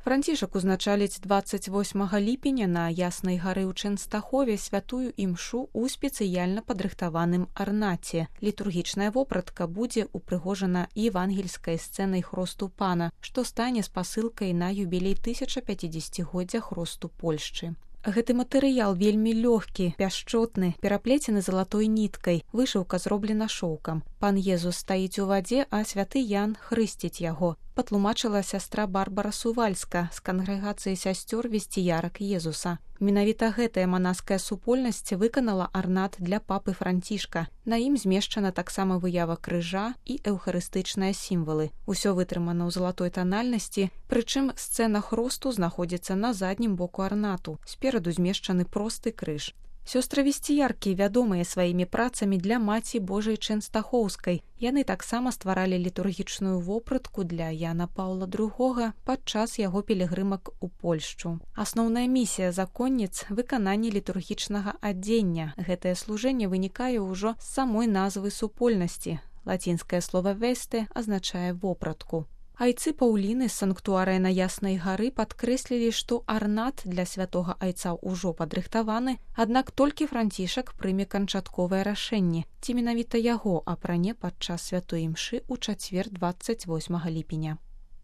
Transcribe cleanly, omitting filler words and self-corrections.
Францішак узначаліць 28 ліпеня на Яснай гары ў Чэнстахове святую імшу ў спецыяльна падрыхтаваным арнаце. Літургічная вопратка будзе упрыгожана евангельскай сцэнай хросту пана, што стане спасылкай на юбілей 1050-годдзя хросту Польшчы. Гэты матэрыял вельмі лёгкі, пяшчотны, пераплецены залатой ніткай, вышыўка зроблена шоўкам. Пан Езус стаіць у вадзе, а святы Ян хрысціць яго, патлумачыла сястра Барбара Сувальска з кангрэгацыі сясцёр весціярак Езуса. Менавіта гэтая манаская супольнасць выканала арнат для папы Францішка. На ім змешчана таксама выява крыжа і эўхарыстычныя сімвалы. Усё вытрымана ў залатой танальнасці, прычым сцэна хросту знаходзіцца на заднім боку арнату. Спераду змешчаны просты крыж. Сёстры-весціяркі вядомыя сваімі працамі для Маці Божай Чэнстахоўскай. Яны таксама стваралі літургічную вопратку для Яна Паўла II падчас яго пілігрымак у Польшчу. Асноўная місія законніц – выкананне літургічнага адзення. Гэтае служэнне вынікае ўжо з самой назвы супольнасці. Лацінскае слова «весте» азначае вопратку. Айцы Паўліны з санктуарыя на Яснай гары падкрэслілі, што арнат для святога айца ўжо падрыхтаваны, аднак толькі Францішак прыме канчатковае рашэнне, ці менавіта яго апране падчас святой імшы ў чацвер 28 ліпеня.